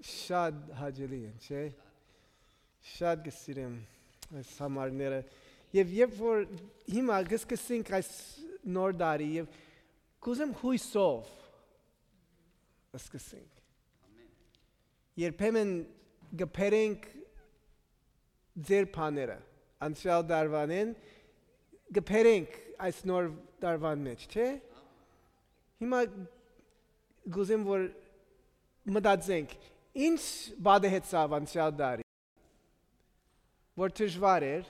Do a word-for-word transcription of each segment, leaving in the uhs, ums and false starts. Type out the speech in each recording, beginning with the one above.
շատ հաճելի են, չէ՞։ Շատ կը սիրեմ այս համարները։ Եւ երբ որ հիմա կսկսենք այս նոր տարի, եւ կուզեմ հույսով սկսենք։ Երբեմն կբերենք ձեր բաները անցեալ տարուանեն, կբերենք այս նոր տարուան մեջ, չէ՞։ Հիմա կուզեմ, որ մտածենք, ինչ պատահեցաւ անցեալ տարի, որ դժուար էր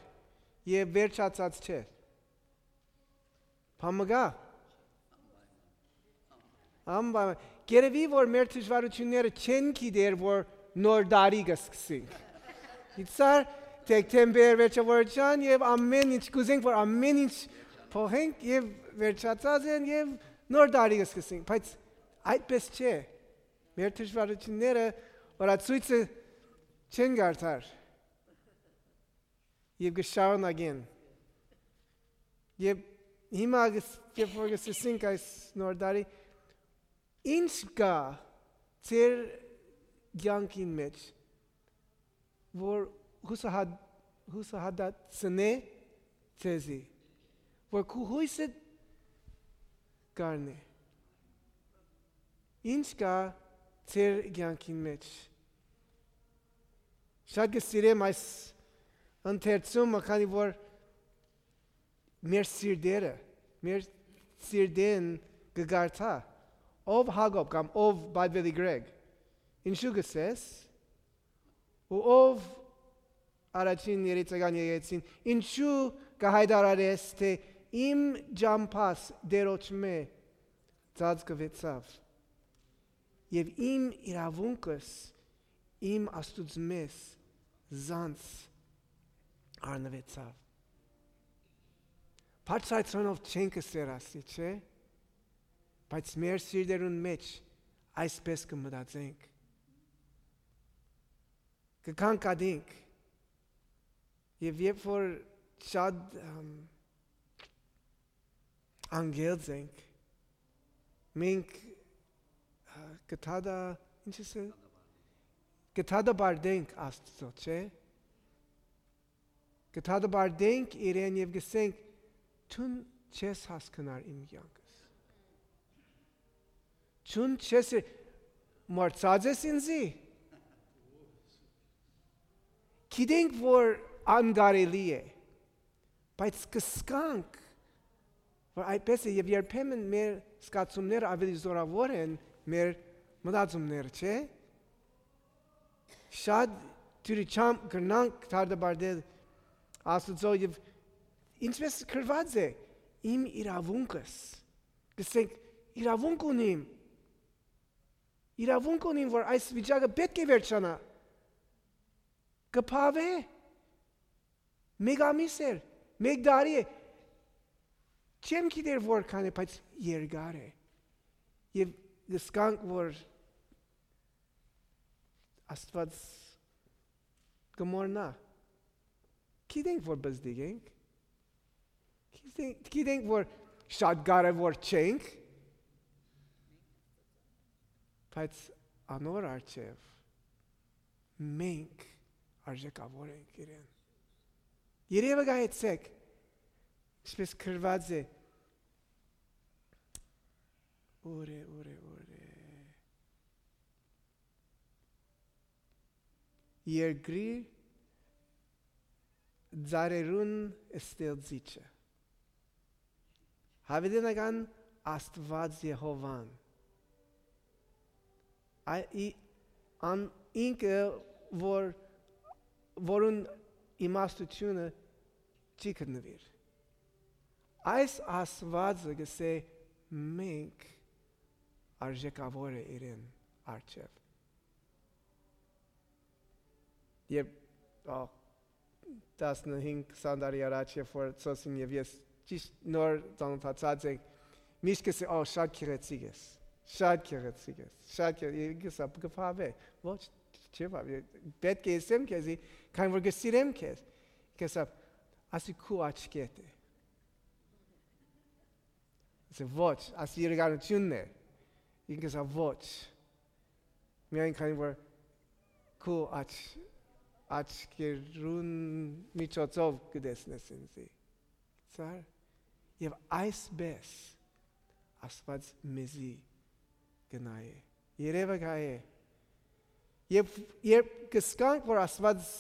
եւ վերջացած չէր։ Բան մը կա։ Անպայման։ Կերեւի, որ մեր դժուարութիւնները չեն գիտեր, որ նոր տարի կսկսենք։ Իցար դեկտեմբեր վերջավորչան եւ ամեն ինչ կուզենք, որ ամեն ինչ փոխենք, եւ վերջացած են, եւ նոր տարի կսկսենք, բայց այդպես չէ։ Մեր դժվարութիւնները օրացոյցը չեն կարդար եւ կշարունակեն։ Եւ հիմա, երբ որ կսկսենք այս նոր տարի, ինչ կա ձեր կեանքին մեջ, որ հուսահատ-, հուսահատացնէ ձեզի, որ քու հույսը կառնէ։ Ինչ կա ձեր կեանքին մեջ։ Շատ կը սիրեմ այս ընթերցումը, քանի որ մեր սիրտերը, մեր սիրտեն կը կարդայ, ով Յակոբ կամ ով Պատվելի Գրեգ, ինչու կ'ըսես, ու ով առաջին երեցական եկեղեցին, ինչու կը հայտարարես, թէ իմ ճամբաս Տէրոջմէ ծածկուեցաւ, եւ իմ իրաւունքս իմ Աստուծմէս զանց առնուեցաւ։ Բարձրացնելով չենք կ'ըսեր ասի, չէ՞, բայց մեր սիրտերուն մեջ այսպես կը մտածենք, կը կանկատենք, եւ երբ որ շատ, ըմ, անգերձ ենք, մենք, ա, կը դատա-, ինչ ես, կը դատապարտենք Աստծո, չէ՞։ Կը դատապարտենք իրեն եւ կ'ըսենք. «Դուն չես հասկնար իմ կեանքս։ Դուն չես, մոռցած ես ինձի»։ Գիտենք, որ անկարելի է, բայց կ'ըսկանք, որ այդպես է, եւ երբեմն մեր զգացումները աւելի զօրաւոր են մեր մտածումները, չէ՞։ Շատ դիւրիչամ կրնանք դատապարտել Աստուծոյ, եւ ինչպես գրուած է, իմ իրաւունքս, կ'ըսենք, իրաւունք ունիմ, իրաւունք ունիմ, որ այս վիճակը պէտք է վերջանայ։ Կը բաւէ, մէկ ամիս էր, մէկ տարի է, չեմ գիտեր որքան է, բայց երկար է։ Եւ կ'ըսկանք, որ Աստուած կը մոռնայ։ Գիտենք, որ բզդիկ ենք։ Գիտենք, գիտենք, որ շատ կարեւոր չենք, բայց անոր առջեւ մենք արժեքաւոր ենք իրեն։ Երեւը գայեցեք, ինչպես գրուած է. «Ուր է, ուր է, ուր է»։ Երկրի ծառերուն ստեղծիչը, Յաւիտենական Աստուած Եհովան, ա-, ի-, ան ինքը, որ, որուն իմաստութիւնը չի գտնուիր։ Այս Աստուածը կ'ըսէ. «Մենք արժեքաւոր է իրեն առջեւ»։ Երբ, ա, տասնհինգ քսան տարի առաջ, երբ որ Ծոսին եւ ես ճիշտ նոր ծանոթացած ենք, միշտ կ'ըսէ. «Ա, շատ գեղեցիկ ես, շատ գեղեցիկ ես, շատ գեղեցիկ», կ'ըսէ, կը բաւէ. «Ոչ, չի բաւէ, պէտք է ըսեմ քեզի, քանի որ կը սիրեմ քեզ»։ Կ'ըսէ. «Ասի քու աչքերդ է»։ Ասի. «Ոչ, ասի իրականութիւնն է»։ Ինքը ըսաւ. «Ոչ, միայն քանի որ քու աչ-, աչքերուն միջոցով կը տեսնես ինծի։ Ծար, եւ այսպես Աստուած մեզի կը նայէ։ Երեւը կայ է։ Եւ երբ կսկանք, որ Աստուած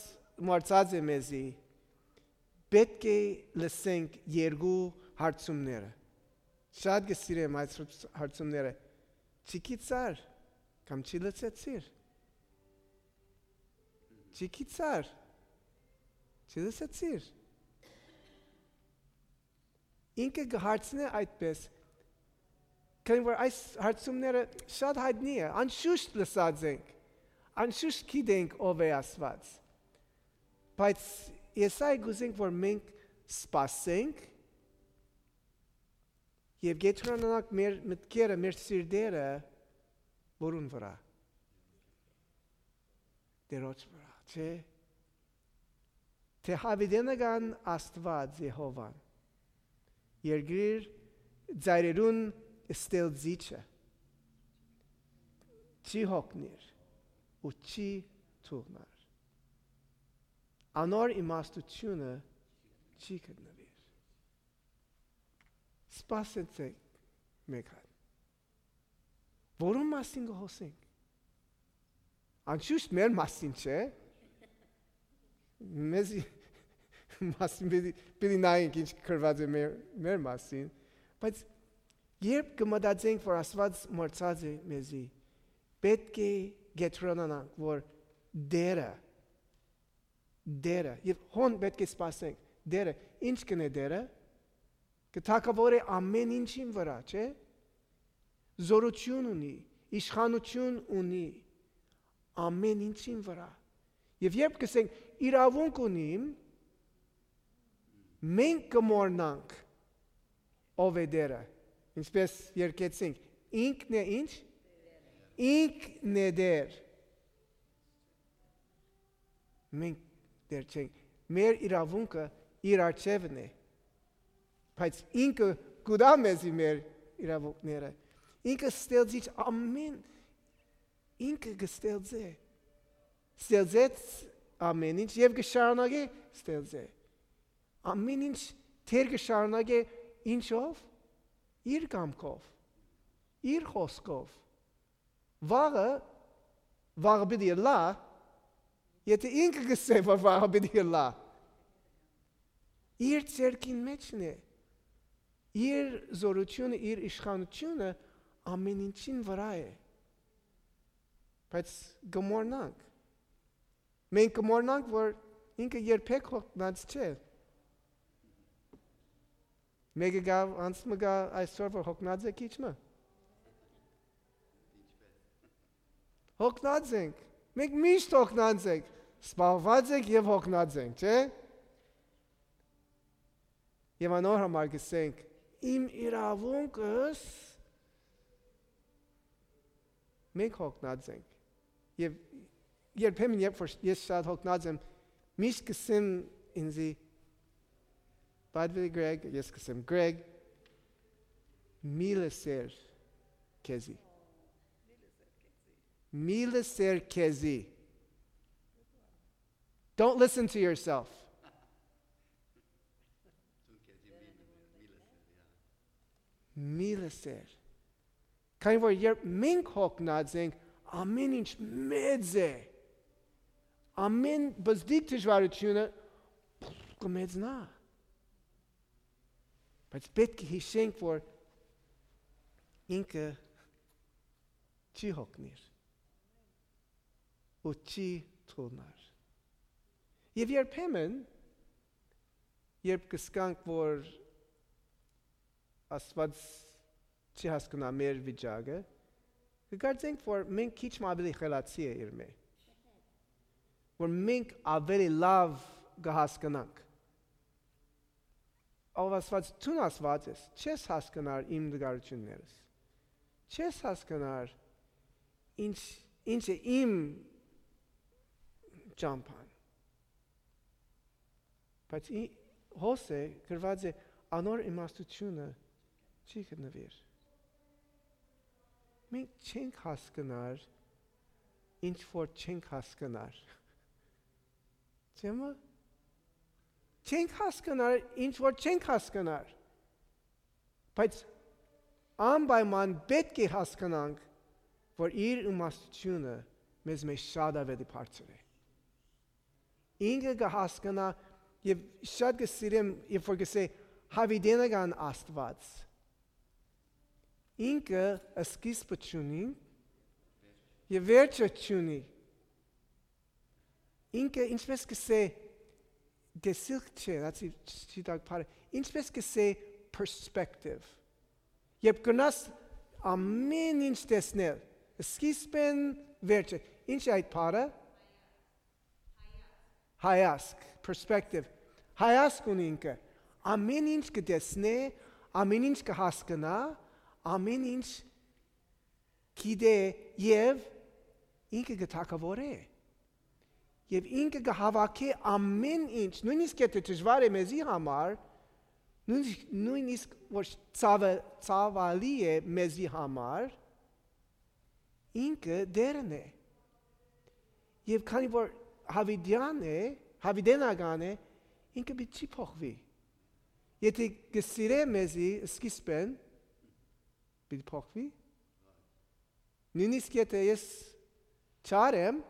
մոռցած է մեզի, պէտք է լսենք երկու հարցումները։ Շատ կը սիրեմ այս հարց-, հարցումները։ Չի գիտցար կամ չի լսեցիր։ Չի գիտցար, չի լսեցիր։ Ինքը կը հարցնէ այդպես, քանի որ այս հարցումները շատ յայտնի է, անշուշտ լսած ենք, անշուշտ գիտենք ով է Աստուած, բայց ես այ կուզենք, որ մենք սպասենք եւ կեդրոնանանք մեր մտքերը, մեր սիրտերը, որուն վրա։ Տերոջ վրա, չէ՞։ Թէ յաւիտենական Աստուած Եհովան, երկրի ծայրերուն ստեղծիչը, չի յոգնիր ու չի թուղնար։ Անոր իմաստութիւնը չի գտնուիր։ Սպասեցէք մէկ հատ։ Որուն մասին կը խօսենք։ Անշուշտ մեր մասին չէ։ Մեզի մասին պիտի, պիտի նայենք ինչ գրված է մեր, մեր մասին, բայց երբ կը մտածենք, որ Աստուած մոռցած է մեզի, պէտք է կեդրոնանանք, որ Տերը, Տերը, եւ հոն պէտք է սպասենք, Տերը, ինչ կ'ընէ Տերը, կը թագաւորէ ամէն ինչին վրա, չէ՞։ Զօրութիւն ունի, իշխանութիւն ունի ամէն ինչին վրա։ Եւ երբ կ'ըսենք իրաւունք ունիմ, մենք կը մոռնանք ով է Տերը, ինչպես երգեցինք, ինքն է ինչ, ինքն է Տեր։ Մենք Տեր չենք, մեր իրաւունքը իր առջեւն է, բայց ինքը կու տայ մեզի մեր իրաւունքները։ Ինքը ստեղծիչ ամէն, ինքը կը ստեղծէ, ստեղծեց ամէն ինչ եւ կը շարունակէ ստեղծել։ Ամէն ինչ Տեր կը շարունակէ ինչով, իր կամքով, իր խօսքով։ Վաղը, վաղը պիտի ըլլայ, եթէ ինքը կ'ըսէ, որ վաղը պիտի ըլլայ։ Իր ձեռքին մէջն է, իր զօրութիւնը, իր իշխանութիւնը ամէն ինչին վրա է, բայց կը մոռնանք։ Մենք կը մոռնանք, որ ինքը երբեք յոգնած չէ։ Մէկը գա, անց մը գա այսօր, որ յոգնած է քիչ մը։ Յոգնած ենք։ Մենք միշտ յոգնած ենք, սպառուած ենք եւ յոգնած ենք, չէ՞։ Եվ անոր համար կ'ըսենք, իմ իրաւունքս, մենք յոգնած ենք։ Եվ երբեմն, երբ որ ես շատ յոգնած եմ, միշտ կ'ըսեմ ինծի, «By the way, Greg», ես կ'ըսեմ, «Greg, մի լսեր քեզի։ Մի լսեր քեզի։ Don't listen to yourself»։ Մի լսեր։ Քանի որ երբ մենք յոգնած ենք, ամէն ինչ մեծ է, ամէն բզդիկ դժվարութիւնը կը մեծնայ։ Բայց պէտք է յիշենք, որ ինքը չի յոգնիր ու չի թուլնար։ Եվ երբեմն, երբ կ'ըսկանք, որ Աստուած չի հասկնայ մեր վիճակը, կը կարծենք, որ մենք քիչ մը աւելի խելացի է իրմէ, որ մենք աւելի լաւ կը հասկնանք։ Ով Աստուած, դուն Աստուած ես, չես հասկնար իմ տկարութիւններս, չես հասկնար ինչ, ինչ է իմ ճամբան։ Բայց ի-, Հոս է, գրված է, անոր իմաստութիւնը չի գտնուիր։ Մենք չենք հասկնար ինչ որ չենք հասկնար։ Չէ՞ մը։ Չենք հասկնար, ինչ որ չենք հասկնար։ Բայց անպայման պէտք է հասկնանք, որ իր իմաստութիւնը մեզ մէջ շատ աւելի բարձր է։ Ինքը կը հասկնայ եւ շատ կը սիրեմ, երբ որ կ'ըսէ, «Յաւիտենական Աստուած»։ Ինքը սկիզբը չունի եւ վերջը չունի։ Ինքը, ինչպես կ'ըսէ, տեսիլք չէ, that's it, չի տակ բառը, ինչպես կ'ըսէ, perspective։ Երբ կրնաս ամէն ինչ տեսնել, սկիզբէն վերջը, ինչ է այդ բառը։ Հայացք, perspective։ Հայացք ունի ինքը։ Ամէն ինչ կը տեսնէ, ամէն ինչ կը հասկնայ, ամէն ինչ գիտէ եւ ինքը կը թագաւորէ։ Եւ ինքը կը հաւաքէ ամէն ինչ, նոյնիսկ եթէ դժուար է մեզի համար, նոյնիսկ, նոյնիսկ որ ցաւը, ցաւալի է մեզի համար, ինքը Տէրն է։ Եւ քանի որ յաւիտեան է, յաւիտենական է, ինքը պիտի չի փոխուի։ Եթէ կը սիրէ մեզի սկիզբէն, պիտի փոխուի։ Նոյնիսկ եթէ ես չար եմ,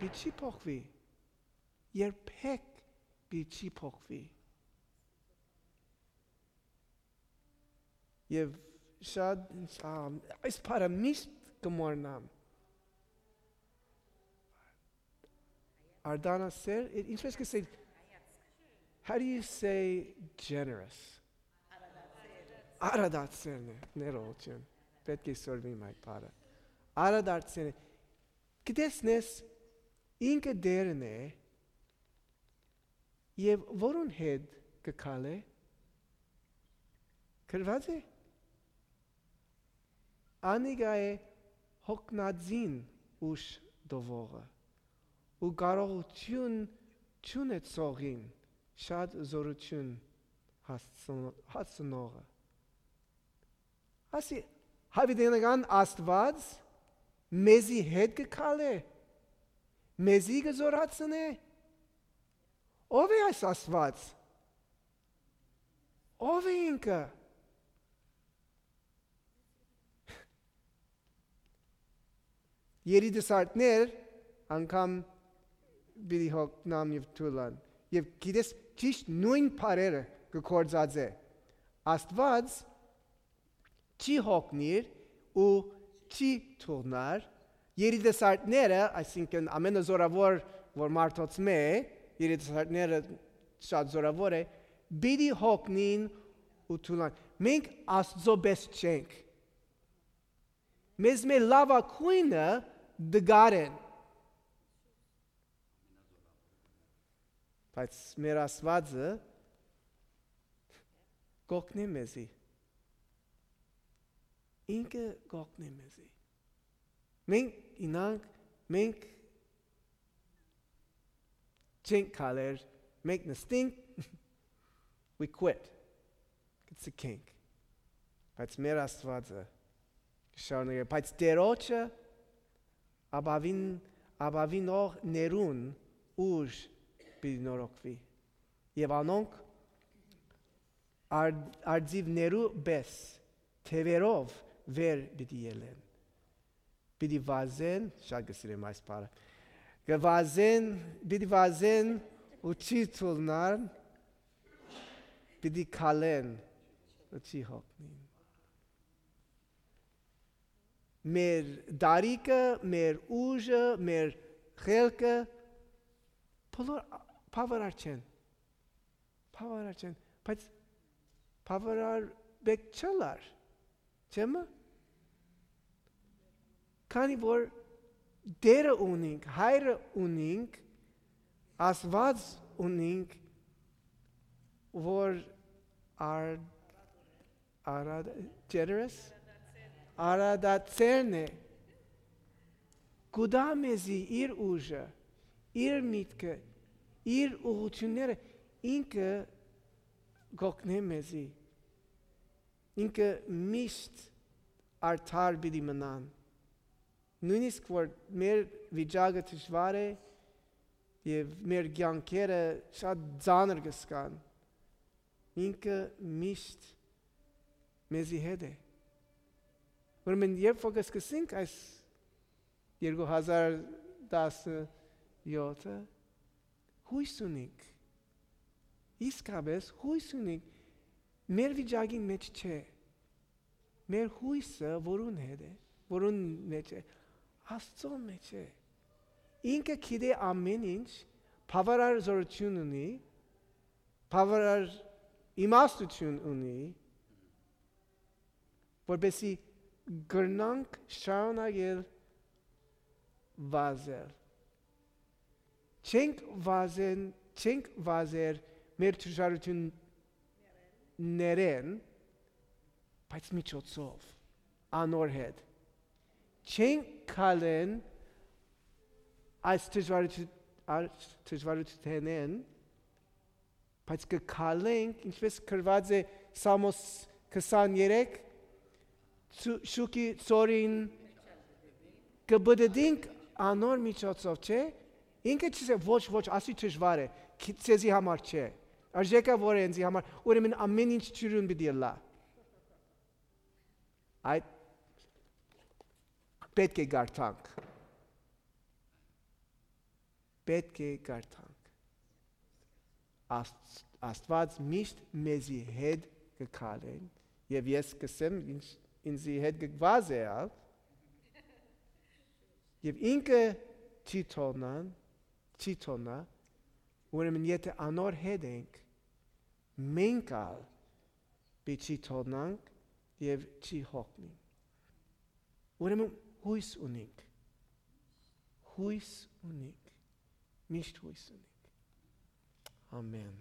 պիտի չի փոխուի։ Երբեք պիտի չի փոխուի։ Եվ շատ, ա, այս բառը միշտ կը մոռնամ։ Արտանասեր, ինչպես կ'ըսել, how do you say generous? Արադացերն է, ներողություն։ Պէտք է սորվիմ այդ բառը։ Արադարձերն է։ Կը տեսնես, ինքը Տէրն է, եւ որուն հետ կը քալէ։ Գրուած է։ Անիկա է հոգնածին ուժ տուողը ու կարողութիւն չունեցողին շատ զօրութիւն հասցնողը։ Ասի, յաւիտենական Աստուած մեզի հետ կը քալէ, մեզի կը զօրացնէ։ Ո՞վ է այս Աստուած։ Ո՞վ է ինքը։ Երիտասարդներ անգամ պիտի հոգնան եւ թուլան։ Եւ գիտես, ճիշդ նոյն բառերը կը գործածէ։ Աստուած չի հոգնիր ու չի թուլնար։ Երիտասարդները, այսինքն՝ ամենազորաւոր որ մարդոց մէ, երիտասարդները շատ զորաւոր է, պիտի հոգնին ու թուլան։ Մենք Աստուծոյ պէս չենք։ Մեզմէ լաւագոյնը տկար են։ Բայց մեր Աստուածը կ'օգնէ մեզի։ Ինքը կ'օգնէ մեզի։ Մենք ինանք, մենք չենք քալեր, մենք նստինք, we quit, կցկենք։ Բայց մեր Աստուածը կը շարունակէ, բայց Տէրոջը ապաւին, ապաւինող ներուն ուժ պիտի նորոգուի։ Եւ անոնք ար-, արծիւներու պէս թեւերով վեր պիտի ելեն։ Պիտի վազեն, շատ կը սիրեմ այս բառը, կը վազեն, պիտի վազեն ու չի թուլնան, պիտի քալեն ու չի հոգնին։ Մեր դարիքը, մեր ուժը, մեր խելքը, բոլոր բաւարար չեն։ Բաւարար չեն, բայց բաւարար պէտք չըլլար, չէ՞ մը։ Քանի որ Տէրը ունինք, Հայրը ունինք, Աստուած ունինք, որ ար-, արադ-, generous, արադացերն է, կու տայ մեզի իր ուժը, իր միտքը, իր ուղղութիւնները, ինքը կ'օգնէ մեզի, ինքը միշտ արդար պիտի մնան։ Նոյնիսկ որ մեր վիճակը դժուար է եւ մեր կեանքերը շատ ծանր կը զգան, ինքը միշտ մեզի հետ է։ Ուրեմն երբ որ կսկսենք այս երկու հազար տասնեթը, հոյս ունենք, իսկապէս հոյս ունենք, մեր վիճակին մէջ չէ։ Մեր հոյսը որուն հետ է, որուն մէջ է, Աստծուն մէջ է։ Ինքը գիտէ ամէն ինչ, բաւարար զօրութիւն ունի, բաւարար իմաստութիւն ունի, որպեսզի կրնանք շարունակել վազել։ Չենք վազեն, չենք վազեր մեր դժուարութիւններէն, բայց միջոցով, անոր հետ։ Չենք քալեն այս դժուարութիւն-, այս դժուարութենէն, բայց կը քալենք, ինչպես գրուած է Սամոս քսաներեք, «Շուքի ծորին կը բդդինք անոր միջոցով», չէ՞։ Ինքը չի ասեր, «Ոչ, ոչ, ասի դժուար է, քի-, ձեզի համար չէ։ Արժեքը որ է ինձի համար, ուրեմն ամէն ինչ ջուրուն պիտի ըլլայ»։ Այդ պէտք է կարդանք։ Պէտք է կարդանք։ Աստ-, Աստուած միշտ մեզի հետ կը քալեն, եւ ես կսեմ, ինչ ինզի հետ կը վազէ ալ, եւ ինքը չի թողնան, չի թողնայ, ուրեմն եթե անոր հետ ենք, մենք ալ պիտի թողնանք եւ չի հոգնի։ Ուրեմն հոյս ունենք, հոյս ունենք, միշտ հոյս ունենք։ Ամեն։